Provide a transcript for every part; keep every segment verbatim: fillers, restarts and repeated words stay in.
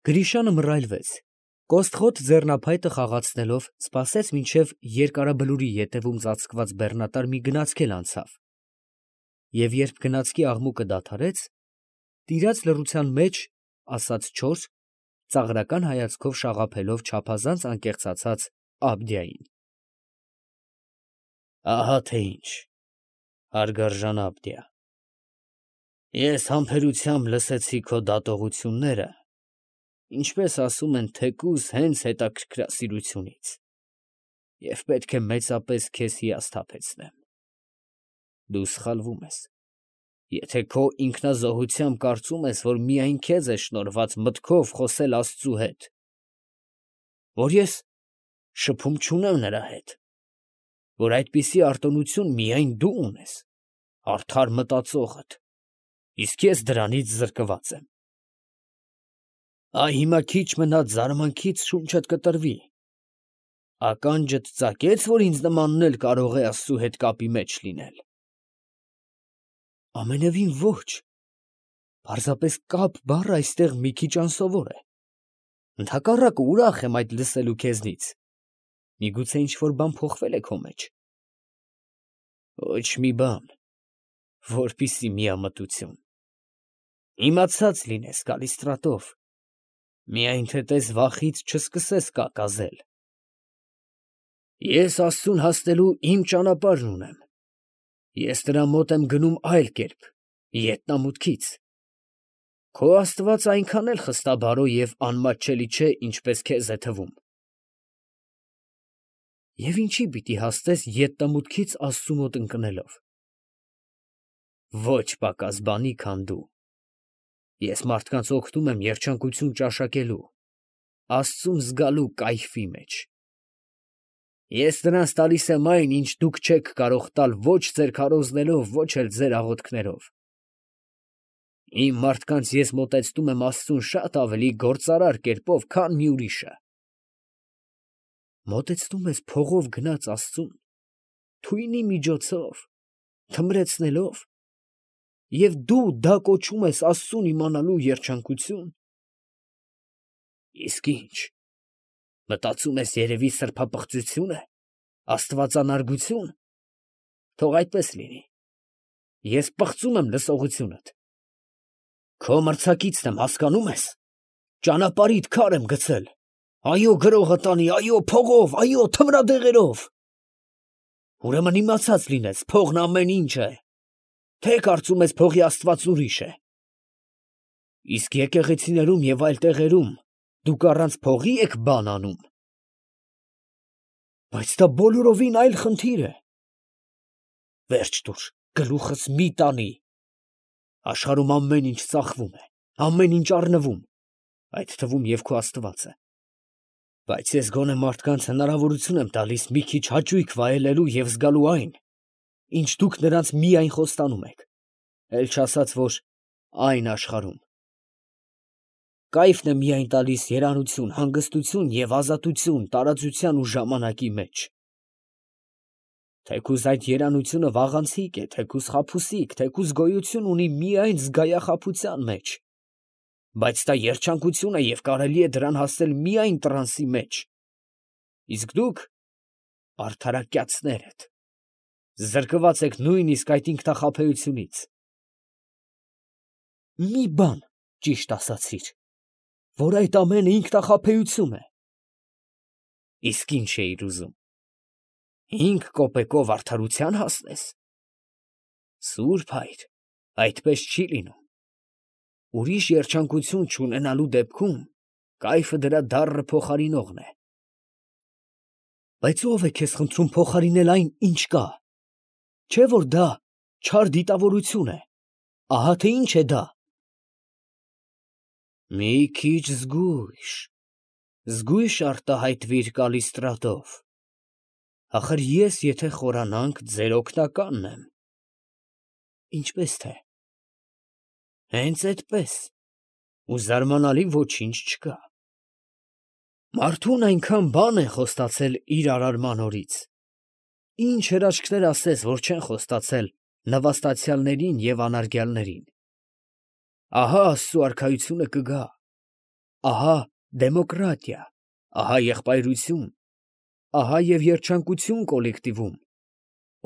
Գրիշյանը մռայլվեց, կոստղոտ ձեռնափայտը խաղացնելով սպասեց, մինչև երկարաբլուրի ետևում ծածկված բեռնատար մի գնացքել անցավ, և երբ գնացքի աղմուկը դադարեց, տիրաց լռության մեջ ասաց չորս, ծաղրական հայացքով շաղափելով չափազանց անկեղծացած Աբդիային. ահա թե ինչ, հարգարժան Աբդիա, ես համբերությամբ լսեցի քո դատողությունները, ինչպես ասում են, թեկուզ հենց հետաքրքրասիրությունից, և պետք է մեծապես քեզ հիասթափեցնեմ. դու սխալվում ես, եթե քո ինքնազոհությամբ կարծում ես, որ միայն քեզ է շնորհված մտքով խոսել Աստծու հետ, որ ես շփում չունեմ նրա հետ, որ այդպիսի արտոնություն միայն դու ունես, արդար մտածողդ, իսկ ես դրանից զրկված եմ. այ հիմա քիչ մնաց զարմանքից շունչդ կտրվի, ականջդ ծակե՞ց, որ ինձ նմանն էլ կարող է Աստծու հետ կապի մեջ լինել. ամենևին ոչ, պարզապես կապ բառը այստեղ մի քիչ անսովոր է, ընդհակառակը ուրախ եմ այդ լսելու քեզնից, միգուցե ինչ֊որ բան փոխվել է քո մեջ. ոչ մի բան, որպիսի միամտություն, իմացած լինես, Կալիստրատով, միայն թե տես վախից չսկսես կակազել. ես Աստծուն հասնելու իմ ճանապարհն ունեմ, ես նրա մոտ եմ գնում այլ կերպ, ետնամուտքից, քո Աստված այնքան էլ խստաբարո և անմատչելի չէ, ինչպես քեզ է թվում. և ինչի պիտի հասնես ետնամուտքից Աստծու մոտ ընկնելով. ոչ պակաս բանի, քան դու, ես մարդկանց օգնում եմ երջանկություն ճաշակելու, Աստծուն զգալու կայֆի մեջ, ես նրանց տալիս եմ այն, ինչ դուք չեք կարող տալ ոչ ձեր քարոզներով, ոչ էլ ձեր աղոթքներով, իմ մարդկանց ես մոտեցնում եմ Աստծուն շատ ավելի գործարար կերպով, քան մի ուրիշը. մոտեցնում ես փողով գնաց Աստծուն, թույնի միջոցով, թմրեցնելով, և դու դա կոչում ես Աստծուն իմանալու երջանկություն, իսկ ի՞նչ, մտածում ես երևի սրբապղծություն է, աստվածանարգություն, թող այդպես լինի, ես պղծում եմ լսողությունդ, քո մրցակիցն եմ, հասկանում ես, ճանապարհիդ քար եմ գցել, այո գրողը տանի, այո փողով, այո թմրադեղերով, ուրեմն իմացած լինես, փողն ամեն ինչ է, թե կարծում ես փողի Աստված ուրիշ է, իսկ եկեղեցիներում և այլ տեղերում դուք առանց փողի եք բան անում, բայց դա բոլորովին այլ խնդիր է, վերջ տուր, գլուխս մի տանի, աշխարհում ամեն ինչ ծախվում է, ամեն ինչ առնվում, այդ թվում և քո Աստվածը, բայց ես գոնե մարդկանց հնարավորություն եմ տալիս մի քիչ հաճույք վայելելու և զգալու այն, ինչ դուք նրանց միայն խոստանում եք, էլ չասած, որ այն աշխարհում, կայֆն է միայն տալիս երանություն, հանգստություն և ազատություն տարածության ու ժամանակի մեջ, թեկուզ այդ երանությունը վաղանցիկ է, թեկուզ խաբուսիկ, թեկուզ գոյություն ունի միայն զգայախաբության մեջ, բայց դա երջանկություն է և կարելի է դրան հասնել միայն տրանսի մեջ, իսկ դուք արդարակյացներ եք, զրկված եք նույնիսկ այդ ինքնախաբեությունից, մի բան ճիշտ ասացիր, որ այդ ամենը ինքնախաբեություն է, իսկ ի՞նչ էիր ուզում, հինգ կոպեկով արդարության հասնես, սուրբ հայր, այդպես չի լինում, ուրիշ երջանկություն չունենալու դեպքում կայֆը դրա դառն փոխարինողն է, բայց ո՞վ է քեզ խնդրում փոխարինել այն, ինչ կա, չէ՞ որ դա չար դիտավորություն է, ահա թե ինչ է դա, մի քիչ զգույշ, զգույշ արտահայտվիր Կալիստրատով, ախր ես եթե խորանանք, ձեր օգնականն եմ, ինչպես թե, հենց այդպես, ու զարմանալի ոչինչ չկա, մարդուն այնքան բան են խոստացել իր արարման օրից, ինչ հրաշքներ ասես, որ չեն խոստացել նվաստացյալներին և անարգյալներին, ահա Աստծու արքայությունը կգա, ահա դեմոկրատիա, ահա եղբայրություն, ահա և երջանկություն կոլեկտիվում,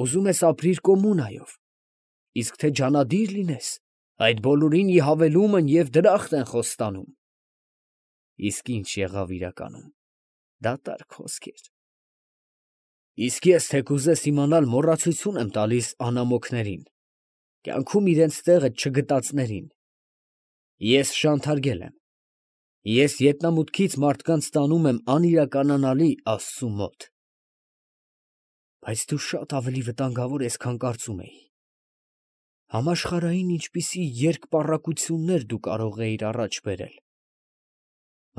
ուզում ես ապրիր կոմունայով, իսկ թե ջանադիր լինես, այդ բոլորին ի հավելում են և դրախտ են խոստանում։ Իսկ ինչ եղավ իրականում, դատարկ խոսքեր։ Իսկ ես, թե կուզես իմանալ, մոռացություն եմ տալիս անամոքներին, կյանքում իրենց տեղը չգտածներին։ Ես շանթարգել եմ, ես ետնամուտքից մարդկանց տանում եմ անիրականանալի Աստծու մոտ։ Բայց դու շատ ավելի վտանգավոր ես, քան կարծում էի։ Համաշխարհային ինչպիսի երկպառակություններ դու կարող էիր առաջ բերել։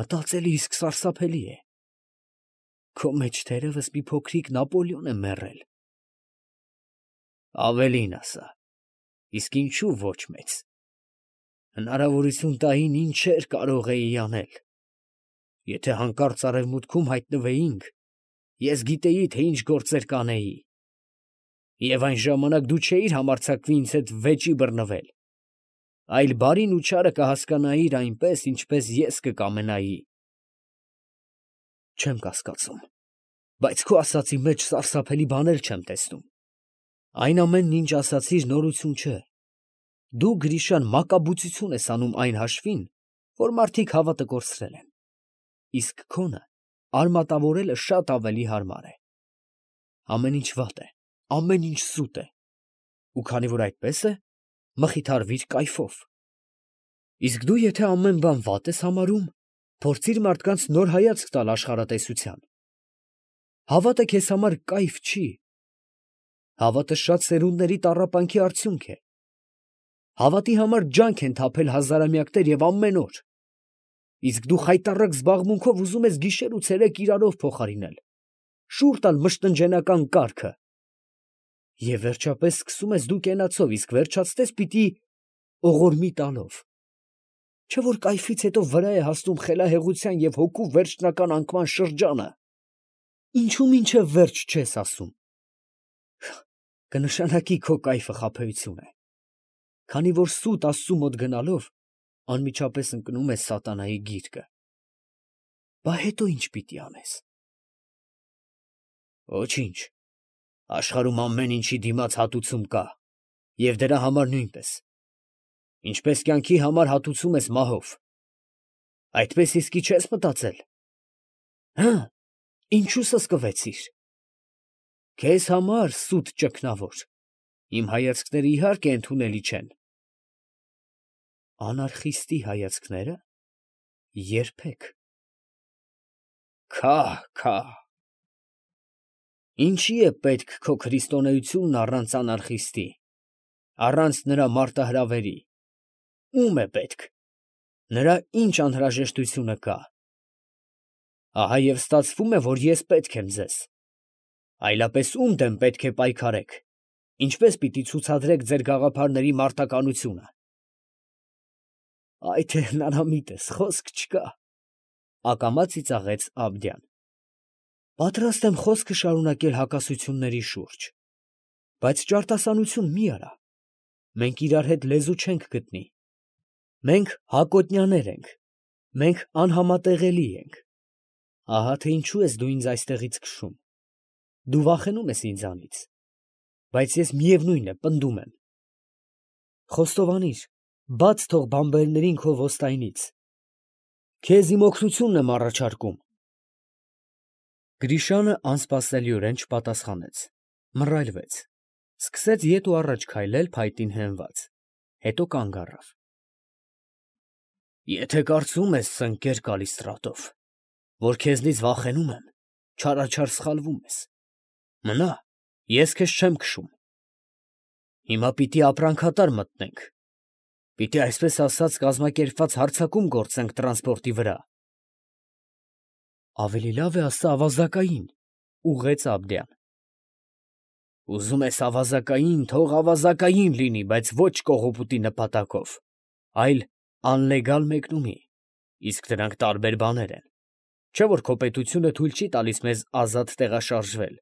Մտածելը իսկ սարսափելի է։ Քո մեջ թերևս մի փոքրիկ Նապոլեոն է մեռել։ Ավելին ասա, իսկ ինչու ոչ մեծ։ Հնարավորություն տային ինչեր կարող էի անել։ Եթե հանկարծ արևմուտքում հայտնվեինք, ես գիտեի, թե ինչ գործեր կանեի։ Եվ այն ժամանակ դու չէիր համարձակվի ինձ հետ վեճի բռնվել, այլ բարին ու չարը կհասկանայիր այնպես, ինչպես ես կկամենայի։ Չեմ կասկածում, բայց քո ասածի մեջ սարսափելի բաներ չեմ տեսնում։ Այն ամենն, ինչ ասացիր, նորություն չէ։ Դու, Գրիշան, մակաբուծություն ես անում այն հաշվին, որ մարդիկ հավատը կորցրել են, իսկ քոնը արմատավորելը շատ ավելի հարմար է։ Ամեն ինչ վատ է, ամեն ինչ սուտ է, ու քանի որ այդպես է, մխիթարվիր կայֆով։ Իսկ դու, եթե ամեն բան վատ ես համարում, փորձիր մարդկանց նոր հայացք տալ աշխարհատեսության։ Հավատը քեզ համար կայֆ չի։ Հավատը շատ սերունդների տառապանքի արդյունք է։ Հավատի համար ջանք են թափել հազարամյակներ և ամեն օր։ Իսկ դու խայտառակ զբաղմունքով ուզում ես գիշեր ու ցերեկ իրարով փոխարինել, շուռ տալ մշտնջենական կարգը։ Եվ վերջապես սկսում ես դու կենացով, իսկ վերջացնես պիտի օղորմի տալով։ Չէ՞ որ կայֆից հետո վրա է հասնում խելահեղության և հոգու վերջնական անկման շրջանը։ Ինչու մինչև վերջ չես ասում։ Կնշանակի քո կայֆը խաբեություն է, քանի որ սուտ Աստծու մոտ գնալով անմիջապես ընկնում ես սատանայի գիրկը։ Բա հետո ի՞նչ պիտի անես։ Ոչինչ, աշխարհում ամեն ինչի դիմաց հատուցում կա, և դրա համար նույնպես, ինչպես կյանքի համար հատուցում ես մահով։ Այդպես իսկի չես մտածել։ Հը՞, ինչու սսկվեցիր։ Քեզ համար, սուտ ճգնավոր, իմ հայացքները իհարկե ընդունելի չեն։ Անարխիստի հայացքնե՞րը։ Երբեք։ Քահ, քահ։ Ինչի է պետք քո քրիստոնեությունն առանց անարխիստի, առանց նրա մարտահրավերի։ Ո՞ւմ է պետք։ Նրա ինչ անհրաժեշտությունը կա։ Ահա և ստացվում է, որ ես պետք եմ ձեզ։ Այլապես ո՞ւմ դեմ պետք է պայքարեք, ինչպես պիտի ցուցադրեք ձեր գաղափարների մարտականությունը։ Այ թե հնարամիտ ես, խոսք չկա, ակամա ծիծաղեց Աբդյան։ Պատրաստ եմ խոսքը շարունակել հակասությունների շուրջ, բայց ճարտասանություն մի արա։ Մենք իրար հետ լեզու չենք գտնի։ Մենք հակոտնյաներ ենք, մենք անհամատեղելի ենք։ Ահա թե ինչու ես դու ինձ այստեղից քշում։ Դու վախենում ես ինձանից, բայց ես միևնույն է պնդում եմ։ Խոստովանիր, բաց թող բանբերներին քո ոստայնից։ Քեզ իմ օգնությունն եմ առաջարկում։ Գրիշանը անսպասելիորեն չպատասխանեց, մռայլվեց, սկսեց ետ ու առաջ քայլել փայտին հենված, հետո կանգ առավ։ Եթե կարծում ես, ծնկեր Կալիստրատով, որ քեզնից վախենում եմ, չարաչար սխալվում ես։ Մնա, ես քեզ չեմ քշում։ Հիմա պիտի ապրանքատար մտնենք։ Պիտի այսպես ասած կազմակերպված հարձակում գործենք տրանսպորտի վրա։ Ավելի լավ է ասա ավազակային, ուղղեց Աբդյան։ Ուզում ես ավազակային, թող ավազակային լինի, բայց ոչ կողոպուտի նպատակով, այլ անլեգալ մեկնումի, իսկ դրանք տարբեր բաներ են։ Չէ՞ որ քո պետությունը թույլ չի տալիս մեզ ազատ տեղաշարժվել։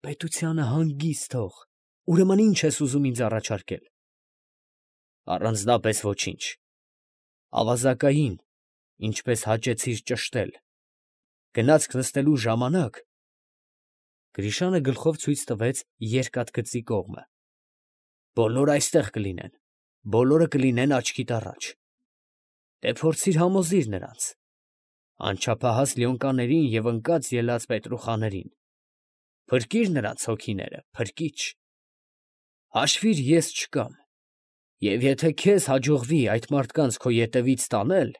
Պետությանը հանգիստ թող, ուրեմն ի՞նչ ես ուզում ինձ առաջարկել։ Առանձնապես ոչինչ։ Ավազակային, ինչպես հաճեցիր ճշտել, գնացք նստելու ժամանակ, Գրիշանը գլխով ցույց տվեց երկաթգծի կողմը, բոլորը այստեղ կլինեն, բոլորը կլինեն աչքիդ առաջ, դե փորձիր համոզիր նրանց, անչափահաս լյոնկաներին և ընկած ելած պետրուխաներին, փրկիր նրանց հոգիները, փրկիչ, հաշվիր ես չկամ, և եթե քեզ հաջողվի այդ մարդկանց քո ետևից տանել,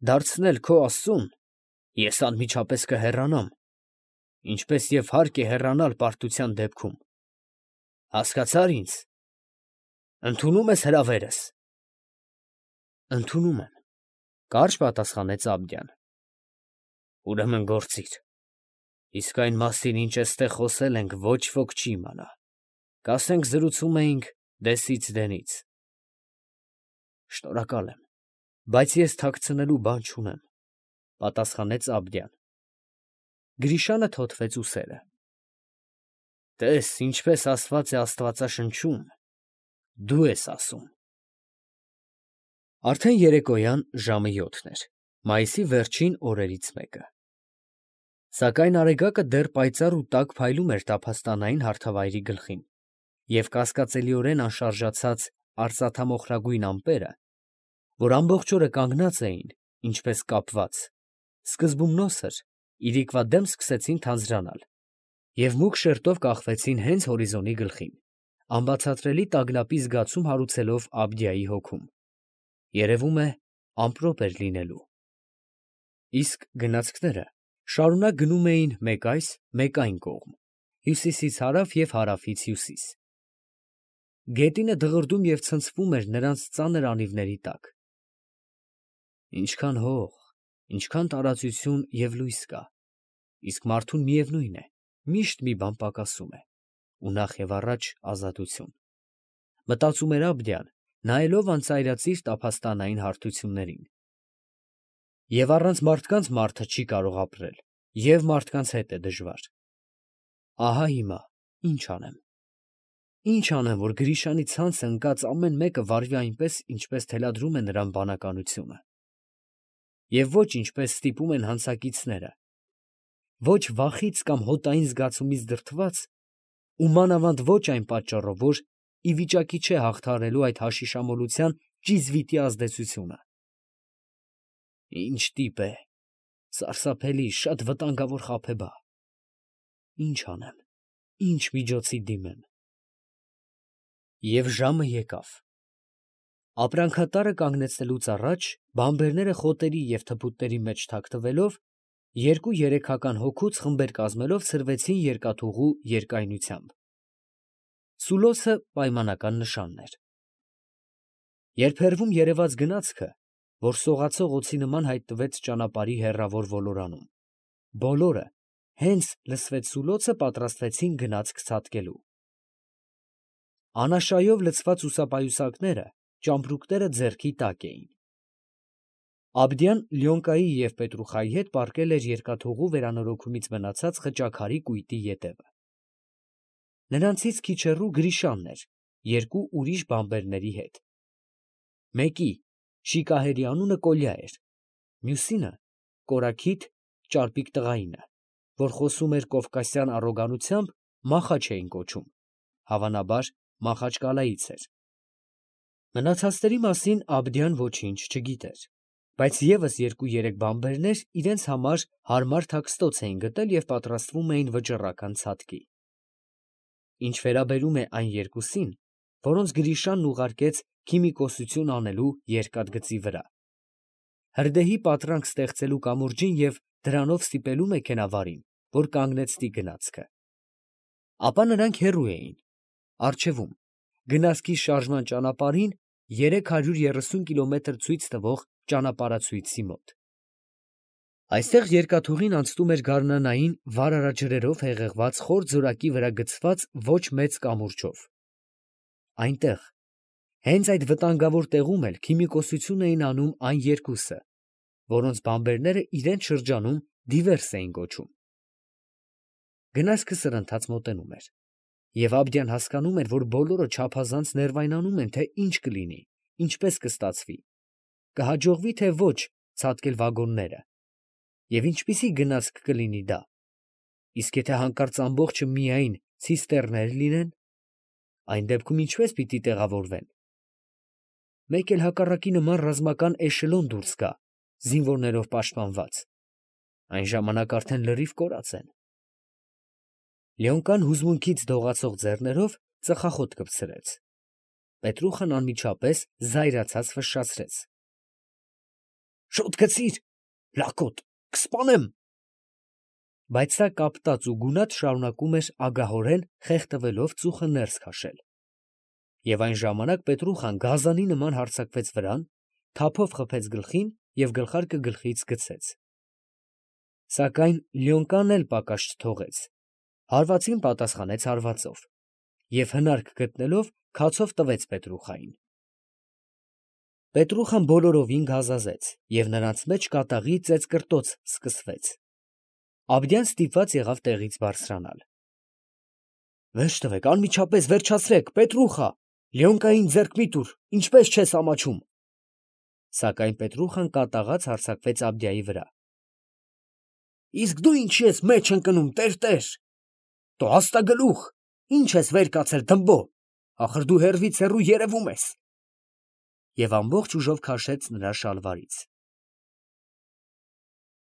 դարձնել քո աստծուն, ես անմիջապես կհեռանամ, ինչպես և հարկ է հեռանալ պարտության դեպքում, հասկացա՞ր ինձ, ընդունում ես հրավերս։ Ընդունում եմ, կարճ պատասխանեց Աբդյան։ Ուրեմն գործիր, իսկ այն մասին, ինչ էստեղ խոսել ենք, ոչ ոք չի իմանա, կասենք զրուցում էինք դեսից դենից։ Շնորհակալ եմ, բայց ես թաքցնելու բան չունեմ, պատասխանեց Աբդյան։ Գրիշանը թոթվեց ուսերը։ Տես, ինչպես ասված է Աստվածաշնչում, դու ես ասում։ Արդեն երեկոյան ժամը յոթն էր, մայիսի վերջին օրերից մեկը։ Սակայն արեգակը դեռ պայծառ ու տաք փայլում էր տափաստանային հարթավայրի գլխին, և կասկածելիորեն անշարժացած արծաթամոխրագույն ամպերը, որ ամբողջ օրը կանգնած էին, ինչպես կապված, սկզբում նոսր, իրիկվա դեմ սկսեցին թանձրանալ և մուգ շերտով կախվեցին հենց հորիզոնի գլխին, անբացատրելի տագնապի զգացում հարուցելով Աբդիայի հոգում, երևում է, ամպրոպ էր լինելու։ Իսկ գնացքները շարունակ գնում էին մեկ այս, մեկ այն կողմ, հյուսիսից հարավ և հարավից հյուսիս։ Գետինը դղրդում և ցնցվում էր նրանց ծանր անիվների տակ։ Ինչքան հող, ինչքան տարածություն և լույս կա, իսկ մարդուն միևնույն է, միշտ մի բան պակասում է, ու նախ և առաջ ազատություն, մտածում էր Աբդյան, նայելով անծայրածիր տափաստանային հարթություններին։ Եվ առանց մարդկանց մարդը չի կարող ապրել, և մարդկանց հետ է դժվար։ Ահա հիմա ինչ անեմ։ Ինչ անեմ, որ Գրիշանի ցանցը ընկած ամեն մեկը վարվի այնպես, ինչպես թելադրում է նրան բանականությունը։ Եվ ոչ ինչպես ստիպում են հանցակիցները, ոչ վախից կամ հոտային զգացումից դրդված, ու մանավանդ ոչ այն պատճառով, որ ի վիճակի չէ հաղթահարելու այդ հաշիշամոլության ճիզվիտի ազդեցությունը։ Ինչ տիպ է, սարսափելի, շատ վտանգավոր խաբեբա։ Ինչ անեմ, ինչ միջոցի դիմեմ։ Եվ ժամը եկավ։ Ապրանքատարը կանգնեցնելուց առաջ, բանբերները խոտերի և թփուտների մեջ թաքնվելով, երկու երեքական հոգուց խմբեր կազմելով ցրվեցին երկաթուղու երկայնությամբ։ Սուլոսը պայմանական նշանն էր։ Երբ հեռվում երևաց գնացքը, որ սողացող օձի նման հայտնվեց ճանապարհի հեռավոր ոլորանում, բոլորը, հենց լսվեց սուլոցը, պատրաստվեցին գնացք ցատկելու։ Անաշայով լցված ուսապայուսակները, ճամպրուկները ձեռքի տակ էին։ Աբդյան Լյոնկայի և Պետրուխայի հետ պառկել էր երկաթուղու վերանորոգումից մնացած խճաքարի կույտի ետևը։ Նրանցից քիչ հեռու Գրիշանն էր երկու ուրիշ բանբերների հետ։ Մեկի՝ Շիկահերի անունը Կոլյա էր, մյուսինը՝ կորաքիթ, ճարպիկ տղայինը, որ խոսում էր կովկասյան առոգանությամբ, Մախաչ էին կոչում, հավանաբար Մախաչկալայից էր։ Մնացածների մասին Աբդյան ոչինչ չգիտեր, բայց ևս երկու֊երեք բանբերներ իրենց համար հարմար թաքստոց էին գտել և պատրաստվում էին վճռական ցատկի։ Ինչ վերաբերում է այն երկուսին, որոնց Գրիշանն ուղարկեց քիմիկոսություն անելու երկաթգծի վրա, հրդեհի պատրանք ստեղծելու կամուրջին և դրանով ստիպելու մեքենավարին, որ կանգնեցնի գնացքը, ապա նրանք հեռու էին, առջևում, գնացքի շարժման ճանապարհին երեք հարյուր երեսուն կիլոմետր ցույց տվող ճանապարհացույցի մոտ։ Այստեղ երկաթուղին անցնում էր գարնանային վարարաջրերով հեղեղված խոր ձորակի վրա գցված ոչ մեծ կամուրջով։ Այնտեղ, հենց այդ վտանգավոր տեղում էլ քիմիկոսություն էին անում այն երկուսը, որոնց բանբերները իրենց շրջանում դիվերս էին կոչում։ Գնացքը սրընթաց մոտենում էր, և Աբդյան հասկանում էր, որ բոլորը չափազանց ներվայնանում են, թե ինչ կլինի, ինչպես կստացվի, կհաջողվի, թե ոչ ցատկել վագոնները, և ինչպիսի գնացք կլինի դա, իսկ եթե հանկարծ ամբողջը միայն ցիստեռներ լինեն, այն դեպքում ինչպե՞ս պիտի տեղավորվեն. մեկ էլ հակառակի նման ռազմական էշելոն դուրս գա, զինվորներով պաշտպանված, այն ժամանակ արդեն լրիվ կորած են։ Լյոնկան հուզմունքից դողացող ձեռներով ծխախոտ կպցրեց։ Պետրուխան անմիջապես զայրացած ֆշշացրեց. «Շոտ գցի՛ր, լակոտ, կսպանեմ»։ Բայց սա կապտած ու գունատ շարունակում էր ագահորեն խեղդվելով ծուխը ներս քաշել։ Եվ այն ժամանակ Պետրուխան գազանի նման հարձակվեց վրան, թափով խփեց գլխին և գլխարկը գլխից գցեց։ Սակայն Լյոնկան էլ պակաս չթողեց, հարվածին պատասխանեց հարվածով և հնարք գտնելով քացով տվեց Պետրուխային։ Պետրուխան բոլորովին գազազեց, և նրանց մեջ կատաղի ծեծկռտոց սկսվեց։ Աբդյան ստիպված եղավ տեղից բարձրանալ։ «Վերջ տվեք, անմիջապես վերջացրեք, Պետրուխա, Լյոնկային ձեռք մի տուր, ինչպես չես ամաչում»։ Սակայն Պետրուխան կատաղած հարձակվեց Աբդյայի վրա։ «Իսկ դու ինչի ես մեջ ընկնում, տերտեր, տո հաստագլուխ, ի՞նչ ես վեր կացել, դմբո, ախր դու հեռվից հեռու երևում ես»։ Եվ ամբողջ ուժով քաշեց նրա շալվարից։